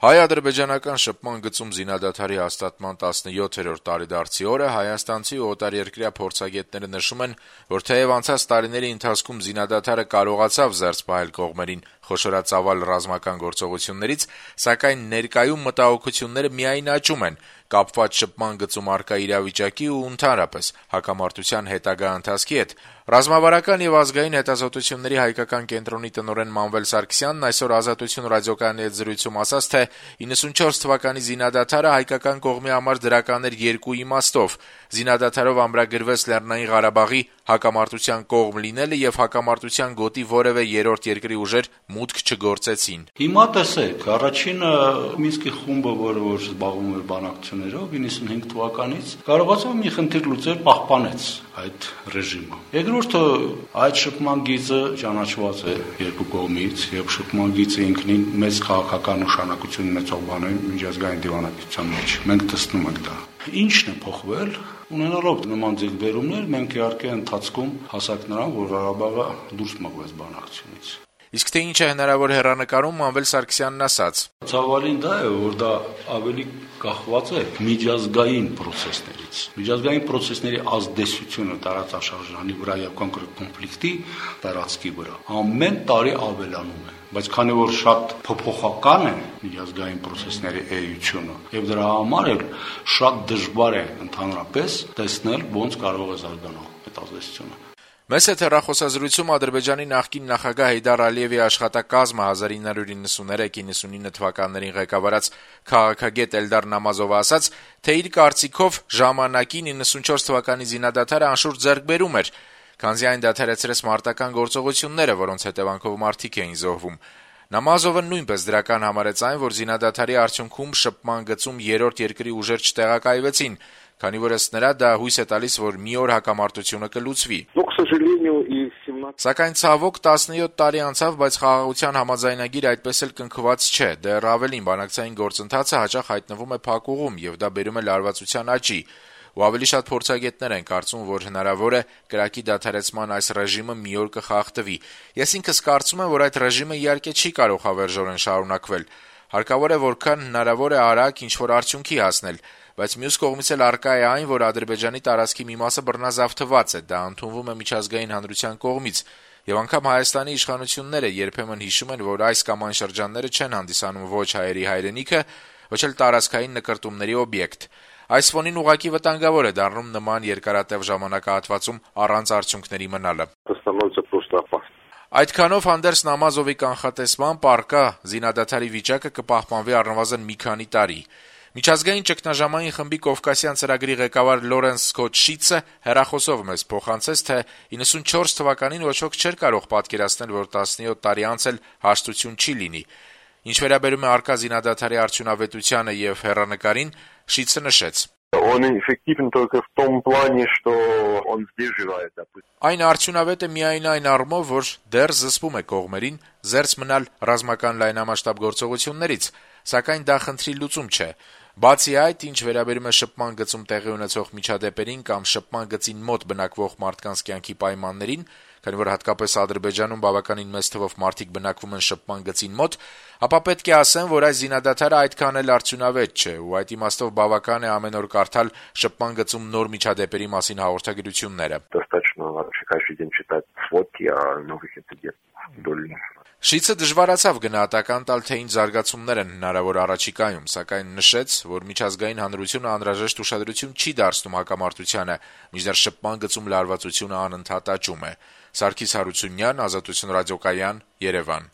Հայ-ադրբեջանական շփման գծում զինադադարի հաստատման 17-րդ տարեդարձի օրը հայաստանցի ու օտարերկրյա փորձագետները նշում են, որ թեև անցած տարիների ընթացքում զինադադարը կարողացավ զերծ պահել կողմերին խոշորածավալ ռազմական գործողություններից, սակայն ներկայում մտահոգությունները միայն աճում են, կապված շփման գծում առկա իրավիճակի ու ընդհանրապես հակամարտության հետագա ընթացքի հետ։ Ռազմավարական եւ ազգային հետազոտությունների հայկական կենտրոնի տնօրեն Մանվել Սարգսյանն այսօր «Ազատություն» ռադիոկայանի հետ զրույցում ասաց, թե 94 թվականի զինադադարը հայկական կողմի համար դրական էր երկու իմաստով. զինադադարով ամրագրվեց Լեռնային Ղարաբաղի հակամարտության կողմ լինելը եւ հակամարտության գոտի որեւէ երրորդ երկրի ուժեր մուտք չգործեցին։ Հիմա տեսեք, առաջինը Մինսկի խումբը, որը զբաղվում էր բանակցություններով 95 թվականից, կարողացավ մի խնդիր լուծել, պահպանեց այդ ռեժիմը։ Երկրորդը, այդ շփման գիծը ճանաչված է երկու կողմից եւ շփման գիծը ինքնին մեծ քաղաքական նշանակություն ունեցող բան է միջազգային դիվանագիտության մեջ։ Մենք տեսնում ենք դա։ Ինչն է փոխվել, ունենալով նման ձեռքբերումներ, մենք իհարկե ընթացքում հասանք նրան, որ Ղարաբաղը դուրս մղվեց բանակցությունից։ Իսկ թե ինչ է հնարավոր հեռանկարում, Մանվել Սարգսյանն ասաց. Ցավալին դա է, որ դա ավելի կախված է միջազգային process-ներից։ Միջազգային process-ների ազդեցությունը տարածաշրջանի վրա եւ կոնկրետ կոնֆլիկտի տարածքի վրա ամեն տարի ավելանում է։ Բայց քանի որ շատ փոփոխական է միջազգային process-ների էությունը եւ դրա համար էլ շատ դժվար է ընդհանրապես տեսնել ոնց կարող է զարգանալ այդ ազդեցությունը։ Մեծ հեռախոսազրույցում Ադրբեջանի նախկին նախագահ Հեյդար Ալիևի աշխատակազմը 1993-99 թվականներին ղեկավարած քաղաքագետ Էլդար Նամազովը ասաց, թե իր կարծիքով ժամանակի 94 թվականի զինադադարը անշուշտ ձեռքբերում էր, քանզի այն դադարեցրեց մարտական գործողությունները, որոնց հետևանքով մարդիկ էին զոհվում։ Նամազովը նույնպես դրական համարեց այն, որ զինադադարի արդյունքում շփման գծում երրորդ երկրի ուժեր չտեղակայվեցին, քանի որ ըստ նրա դա հույս է տալիս, որ մի օր հակամարտությունը կլուծվի։ Սակայն ցավոք 17 տարի անցավ, բայց խաղաղության համաձայնագիր այդպես էլ կնքված չէ, դեռ ավելին բանակցային գործընթացը հաճախ հայտնվում է փակուղում եւ դա բերում է լարվածության աճի։ Ու ավելի շատ փորձագետներ են կարծում, որ հնարավոր է կրակի դադարեցման այս ռեժիմը մի օր կխախտվի։ Ես ինքս կարծում եմ, որ այդ ռեժիմը իհարկե չի կարող հավերժորեն շարունակվել։ Հարկավոր է որքան հնարավոր է արագ ինչ-որ արդյունքի հասնել, բայց մյուս կողմից էլ առկա է այն, որ Ադրբեջանի տարածքի մի մասը բռնազավթված է, դա ընդունվում է միջազգային հանրության կողմից, եւ անգամ Հայաստանի իշխանությունները երբեմն հիշում են, որ այս կամ այն շրջանները չեն հանդիսանում ոչ հայերի հայրենիքը, ոչ էլ տարածքային նկրտումների օբյեկտ։ Այս ֆոնին ուղղակի վտանգավոր է դառնում նման երկարատև ժամանակահատվածում առանց արդյունքների մնալը։ Այդքանով հանդերձ Նամազովի կանխատեսմամբ առկա զինադադարի վիճակը կպահպանվի առնվազն մի քանի տարի։ Միջազգային ճգնաժամային խմբի Կովկասյան ծրագրի ղեկավար Լորենս Սքոթ Շիցը հեռախոսով մեզ փոխանցեց, թե 94 թվականին ոչ ոք չէր կարող պատկերացնել, որ 17 տարի անց էլ հաշտություն չի լինի։ Ինչ վերաբերում է առկա զինադադարի արդյունավետությանը եւ հեռանկարին, Շիցը նշեց. Այն արդյունավետ է միայն այն առումով, որ դեռ զսպում է կողմերին զերծ մնալ ռազմական լայնամասշտաբ գործողություններից, սակայն դա խնդրի լուծում չէ։ Բացի այդ, ինչ վերաբերում է շփման գծում տեղի ունեցող միջադեպերին կամ շփման գծին մոտ բնակվող մարդկանց կյանքի պայմաններին, քանի որ հատկապես Ադրբեջանում բավականին մեծ թվով մարդիկ բնակվում են շփման գծին մոտ, ապա պետք է ասեմ, որ այս զինադադարը այդքան էլ արդյունավետ չէ, ու այդ իմաստով բավական է ամեն օր կարդալ շփման գծում նոր միջադեպերի մասին հաղորդագրությունները։ Շիցը դժվարացավ գնահատական տալ, թե ինչ զարգացումներ են հնարավոր առաջիկայում, սակայն նշեց, որ միջազգային հանրությունը անհրաժեշտ ուշադրություն չի դարձնում հակամարտությանը, մինչդեռ շփման գծում լարվածությունը անընդհատ աճում է։ Սարգիս Հարությունյան, Ազատություն ռադիոկայան, Երևան։